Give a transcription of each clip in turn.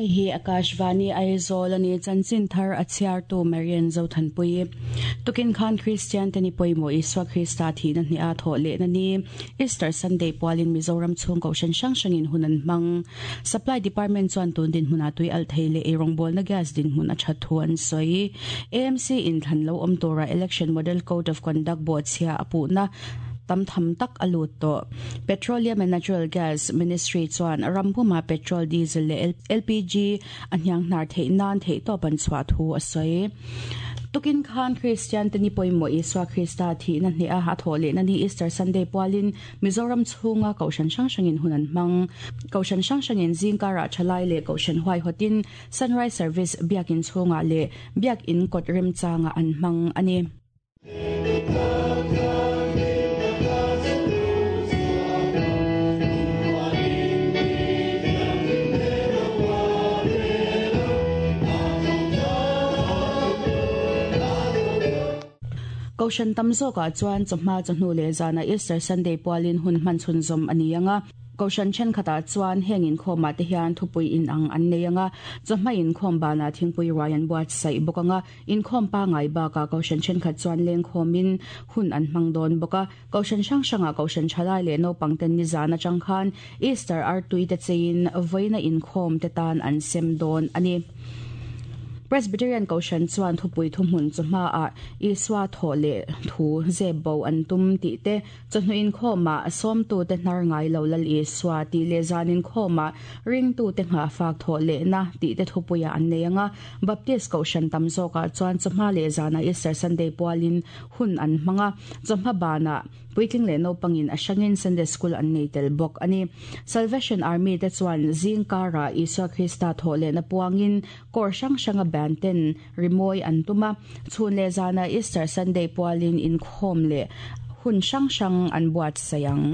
Hei hi Akashvani Aizawl a ni, chanchin thar a chhiartu Marian Zothanpui. Tukin khan Kristian te ni pawimawh Isua Krista thihna hneha thawh lehna ni, Easter Sunday pualin Mizoram chhung kohhran hrang hrangin hun an hmang. Supply Department chuan tun dinhmunah tui alh thei leh eirawngbawlna gas dinhmun a that thu an sawi. AMC inthlan lo awm tura Election Model Code of Conduct bawhchhia a puhna tam tham tak a lut tawh. Petroleum and Natural Gas Ministry chuan ram pumah petrol, diesel leh LPG a hniang hnar theih nan theihtawp an chhuah thu a sawi. Tukin khan Kristian te ni pawimawh Isua Krista thihna hneha a thawh lehna ni Easter Sunday pualin Mizoram chhunga Kohhran hrang hrangin hun an hmang. Kohhran hrang hrangin zingkarah thalai leh Kohhran huaihawtin Sunrise Service Biakin chhungah leh Biakin kawt remchangah an hmang a ni. Kohhran tam zawkah chuan chawhma chawhnu leh zanah Easter Sunday pualin hun hman chhunzawm a ni ang a. Kohhran thenkhatah chuan heng inkhawmah te hian thupui inang an nei ang a, chawhma inkhawm banah thingpui ruai an buatsaih bawk ang a. Inkhawm pangai bakah Kohhran thenkhat chuan lengkhawmin hun an hmang dawn bawk a. Kohhran hrang hrangah Kohhran thalai leh naupang ten nizan atang khan Easter artui te cheiin vawiina inkhawm te tan an sem dawn a ni. Presbyterian Kohhran chuan thupui thuhmun chu hmaah Isua thawh leh thu zep bo an tum tih te, chawhnu inkhawmah sawmtute hnar ngai lo Lal Isua tih leh zan inkhawmah ringtute nghahfak thawh lehna tih te thupuiah an nei ang a. Baptist Kohhran tam zawkah chuan chawhma leh zanah Easter Sunday pualin hun an hmang a, chawhma banah puitling leh naupangin a hrangin Sunday School an nei tel bawk a ni. Salvation Army te chuan zing karah Isua Krista thawh lehna puangin kawr hrang hranga band ten rimawi an tum a, chhun leh zanah Easter Sunday pualin inkhawm leh hun hrang hrang an buatsaih ang.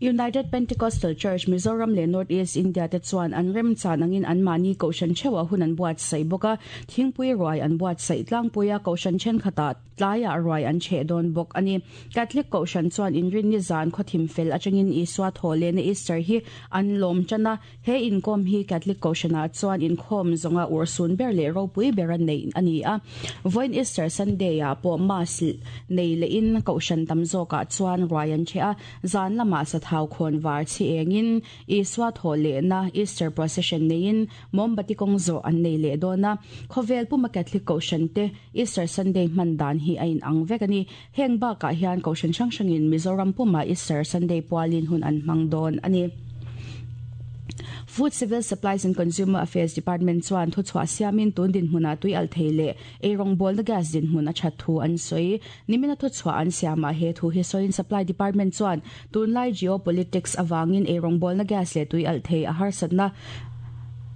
United Pentecostal Church, Mizoram leh North East India te chuan an remchan angin anmahni kohhran theuhah hun an buatsaih bawk a, thingpui ruai an buatsaih tlangpui a, kohhran thenkhatah tlaiah ruai an chheh dawn bawk a ni. Catholic kohhran chuan inrinni zan khawthim fel atangin Isua thawh lehna Easter hi an lawm tan a, He inkawm hi Catholic Kohhranah chuan inkhawm zawnga urhsun ber leh ropui bera neih a ni a. Vawiin Easter Sunday-ah pawh Mass nei lehin Kohhran tam zawkah chuan ruai an ṭheh a, zan lamah sathau khawn var chhi engin Isua thawh lehna Easter Procession neiin mawmbati kawng zawh an nei leh dawn a. Khawvel puma Catholic Kohhran te Easter Sunday hman dan hi a inang vek a ni. Heng bakah hian Kohhran hrang hrangin Mizoram pumah Easter Sunday pualin hun an hmang dawn a ni. Food Civil Supplies and Consumer Affairs Department chuan thuchhuah siamin tun dinhmunah tui alh thei leh eirawngbawlna gas dinhmun a that thu an sawi. Nimina thuchhuah an siamah he thu hi sawiin Supply Department chuan tunlai geopolitics avangin eirawngbawlna gas leh tui alh thei a harsatna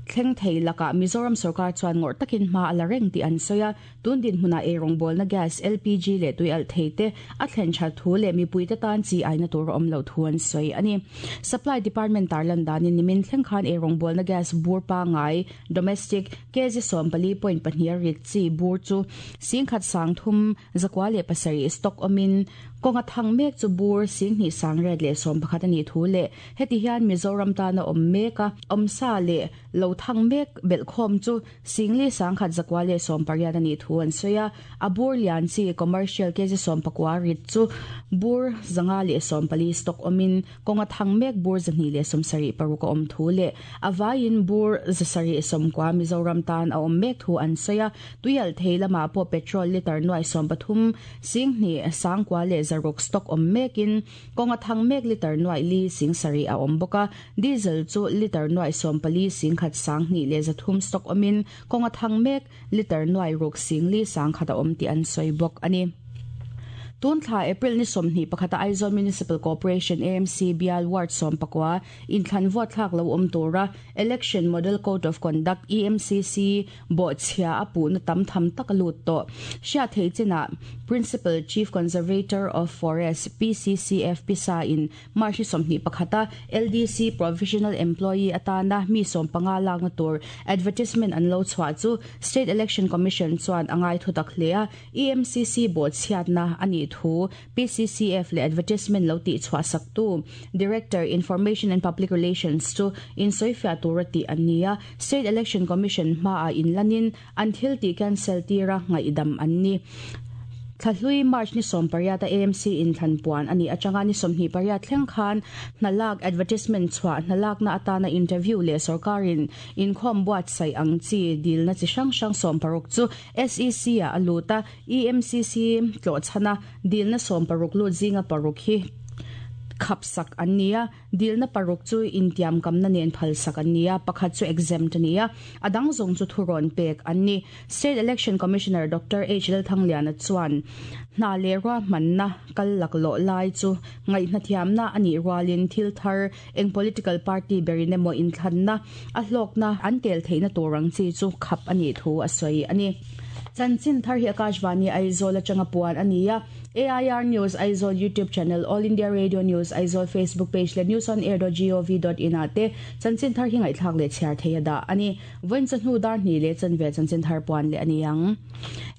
thleng thei lakah Mizoram sorkar chuan ngawrh takin hma a la reng tih an sawi a. Tun dinhmunah eirawngbawlna gas, LPG, leh tui alh thei te a thlen that thu leh mipuite tan chi aina tur a awm loh thu an sawi a ni. Supply Department tarlan danin nimin thleng khan eirawngbawlna gas bur pangai, domestic, kg 14.2 a rit chi bur chu singkhat sangthum zakua leh pasarih stock awmin kawnga thang mek chu bur singhnih sangriat leh sawmpakhat a nih thu leh heti hian Mizoram tana awm mek a awmsa leh lo thang mek belhkhawm chu Singli sangkhat zakua leh 80 a nih thu an sawi a, a bur lian chi commercial kg 19 rit chu bur 540 stock awmin kawnga thang mek bur 276 a awm thu leh a vaiin bur 790 Mizoram tan a awm mek thu an sawi a, tuialh thei lamah pawh petrol litre nuai 13 singhnih sangkua leh zaruk stock awm mekin Kawnga thang mek litre nuaih li sing sarih a awm bawk a, diesel chu litre nuaih 14 sing khat 20 leh 300 stock awmin kawnga thang mek litre nuaih ruk sing li 100 a awm tih an sawi bawk a ni. Tun thla April ni 21 a Aizawl Municipal Corporation, AMC, bial ward 14 inthlan vote thlak lo awm tura Election Model Code of Conduct, EMCC, bawhchhia a puhna tam tham tak a lut tawh. Hriat theih chinah Principal Chief Conservator of Forest, PCCF, pisa in March ni 21 a LDC Provisional Employee atana mi 15 lakna tur advertisement an lo chhuah chu State Election Commission chuan a ngai thutak hle a, EMCC bawhchhiatna a nih thu PCCF leh advertisement lo tih chhuah saktu Director, Information and Public Relations chu insawifiah tura tih an ni a, State Election Commission hmaah inlanin an thil tih cancel tira ngaihdam an ni. Thlahlui March ni 18 a AMC inthlan puan a nih atanga ni 28 thleng khan hna lak advertisement chhuah hna lakna atana interview leh sorkarin inkhawm buatsaih ang chi dilna chi hrang hrang 16 chu SEC ah a lut a, EMCC tlawh chhana dilna 16 lut zinga paruk hi khap sak an ni a, dilna paruk chu intiamkamna nen phal sak an ni a, pakhat chu exempt a ni a, a dang zawng chu thurawn pek an ni. State Election Commissioner Doctor H Lalthangliana chuan hna leh ruahmanna kal laklawh lai chu ngaihnathiamna a nih rualin thil thar eng political party berin emaw inthlanna a hlawkna an tel theihna tur ang chi chu khap a nih thu a sawi a ni. Chanchin thar hi Akashvani Aizawl atanga puan a ni a, AIR News Aizawl YouTube channel, All India Radio News Aizawl Facebook page leh newsonair.gov.in ah te chanchin thar hi ngaihthlak leh chhiar thei a dah a ni. Vawiin chawhnu dar hnih leh chanve chanchin thar puan leh a ni ang.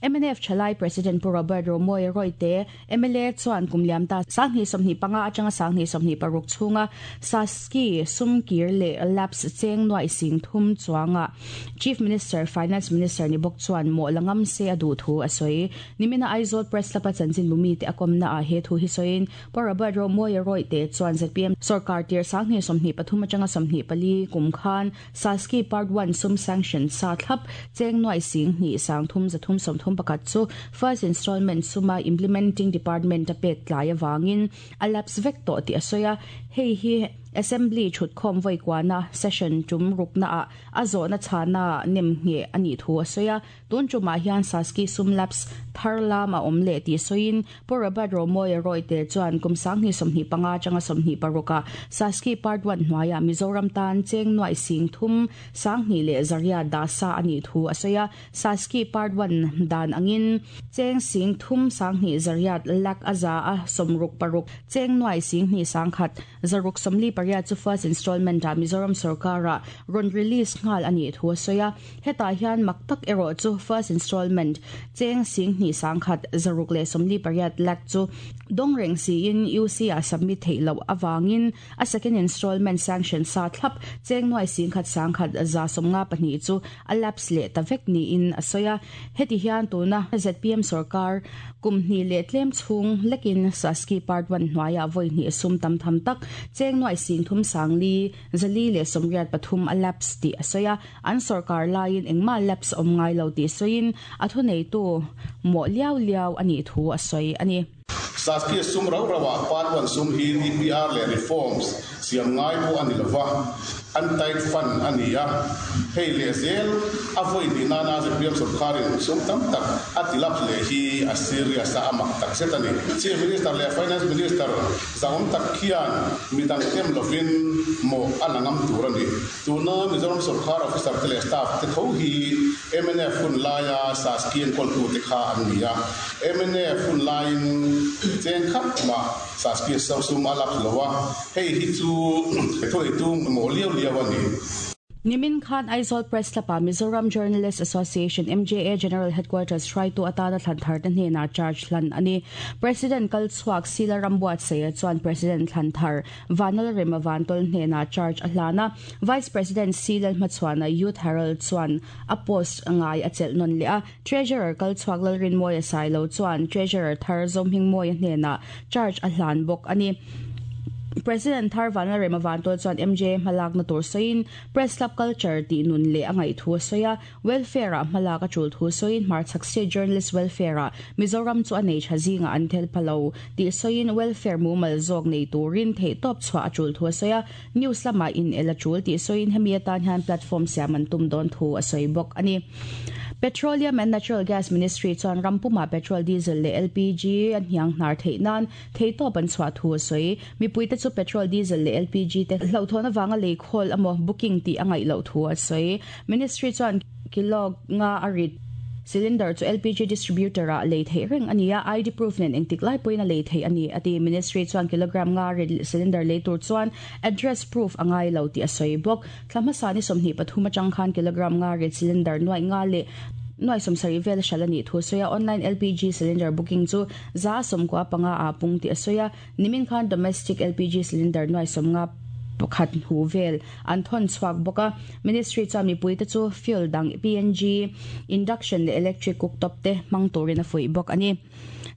Mnf Thalai President Pu Robert Romawia Royte, mla chuan kum liam ta 2025 atanga 2026 chhunga Saski sum kir leh lapse cheng nuaih sing thum chuanga Chief Minister, Finance Minister ni bawk chuan mawh la ngam se a duh thu a sawi. Nimina Aizawl Press Club-a chanchin bumi te a kawmna ah he thu hi sawiin Pu Robert Romawia Royte chuan zpm sorkar tir 2023 atanga 24 kum khan Saski Part One sum sanction sa thlap cheng nuaih sing hnih sang thum zathum 31 chu first installment suma implementing department a pek tlai avangin a lapse vek tawh tih a sawi a, hei hi Assembly thutkhawm vawi kuana session tum rukna ah a zawhna chhana nem ngheh a nih thu a sawi a. Tun tumah hian Saski sum lapse thar lam a awm leh tih sawiin Pu Robert Romawia Royte chuan kum 2025 atanga 26 ah Saski Part One hnuaiah Mizoram tan cheng nuaih sing thum 2000 leh 800 dah sa a nih thu a sawi a. Saski Part One dan angin cheng sing thum 2800 lakh a za a 66 cheng nuaih sing hnih 1000 648 chu first installment ah Mizoram sorkarah rawn release nghal a nih thu a sawi a. Hetah hian mak tak erawh chu first installment cheng sing hnih 1000 648 lakh chu dawng reng siin UC ah submit theih loh avangin a second installment sanction sa thlap cheng nuai sing khat 1000 152 chu a lapse leh ta vek niin a sawi a. Heti hian tuna zpm sorkar kum hnih leh tlem chhung lekin Saski Part One hnuaiah vawi hnih sum tam tham tak cheng nuai sing thum 400 483 a lapse tih a sawi a. An sorkar laiin engmah lapse awm ngai lo tih sawiin a thuneitu mawh liau liau a nih thu a sawi a ni. Saski sum rau rauah Part One sum hi DPR leh reforms siam ngai pawh a ni lova, untied fund a ni a. Hei leh zel a vawi hnih nana zpm sorkarin sum tam tak a ti lapse leh hi a serious a, a mak tak zet a ni. Chief Minister leh Finance Minister zahawm tak khian midang tem lovin mawh a la ngam tur a ni. Tuna Mizoram sorkar officer te leh staff te tho hi mnf hun laia Saski enkawltu te kha an ni a. Mnf hun laiin cheng khat mah Saski sum a lapse lo a, hei hi chu thawheitu mawh liau liau a ni. Nimin khan Aizawl Press Club-ah Mizoram Journalist Association, MJA, General Headquarters hruaitu atana thlan thar te hnenah charge hlan a ni. President kal chhuak Sila Rambuatsaia chuan President thlan thar Vanal Rema Vantol hnenah charge a hlan a, Vice President C Lalhmachhuana Youth Herald chuan a post ngai a chelh nawn leh a, Treasurer kal chhuak Lalrinmawia Sailo chuan Treasurer thar Zohmingmawia hnenah charge a hlan bawk a ni. President thar Vanal Rema Vantol chuan MJA hmalakna tur sawiin Press Club culture tih nun leh a ngaih thu a sawi a, Welfare-ah hmalak a tul thu sawiin hmarchhak State Journalist Welfare-ah Mizoram chu a nei tha zingah an tel pha lo tih sawiin welfare mumal zawk nei turin theihtawp chhuah a tul thu a sawi a, news lamah in el a tul tih sawiin hemi atan hian platform siam an tum dawn thu a sawi bawk a ni. Petroleum and Natural Gas Ministry chuan ram pumah petrol, diesel leh LPG a hniang hnar theih nan theihtawp an chhuah thu a sawi. Mipuite chu petrol, diesel leh LPG te hlauhthawn avanga lei khawl emaw booking tih a ngaih loh thu a sawi. Ministry chuan kilo nga a rit cylinder chu LPG distributor ah lei theih reng a ni a, ID proof nen engtik lai pawhin a lei theih a ni, a ti. Ministry chuan kilogram nga rit cylinder lei tur chuan address proof a ngai lo tih a sawi bawk. Thla hmasa ni 23 atang khan kilogram nga rit cylinder nuaih nga leh nuaih 70 vel hral a nih thu a sawi a, online LPG cylinder booking chu 95% ah pung tih a sawi a, nimin khan domestic LPG cylinder nuaih 51 hnu vel an thawn chhuak bawk a. Ministry chuan mipuite chu fuel dang PNG, induction leh electric cooktop te hmang turin a fuih bawk a ni.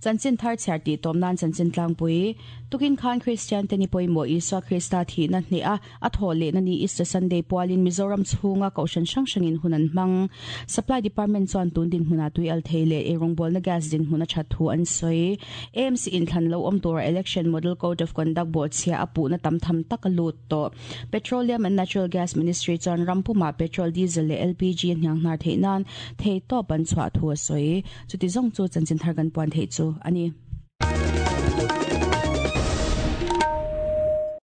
Chanchin thar chhiar tih tawm nan chanchin tlangpui tukin khan Kristian te ni pawimawh Isua Krista thihna hneh a, a thawh lehna ni Easter Sunday pualin Mizoram chhunga kohhran hrang hrangin hun an hmang. Supply Department chuan tun dinhmunah tui al thei leh eirawngbawlna gas dinhmun a that thu an sawi. AMC inthlan lo awm tura Election Model Code of Conduct bawhchhia a puhna tam tham tak a lut tawh. Petroleum and Natural Gas Ministry chuan ram pumah petrol, diesel leh LPG a hnianghnar theih nan theihtawp an chhuah thu a sawi. Chuti zawng chu chanchin thar kan puan theih chu a ni.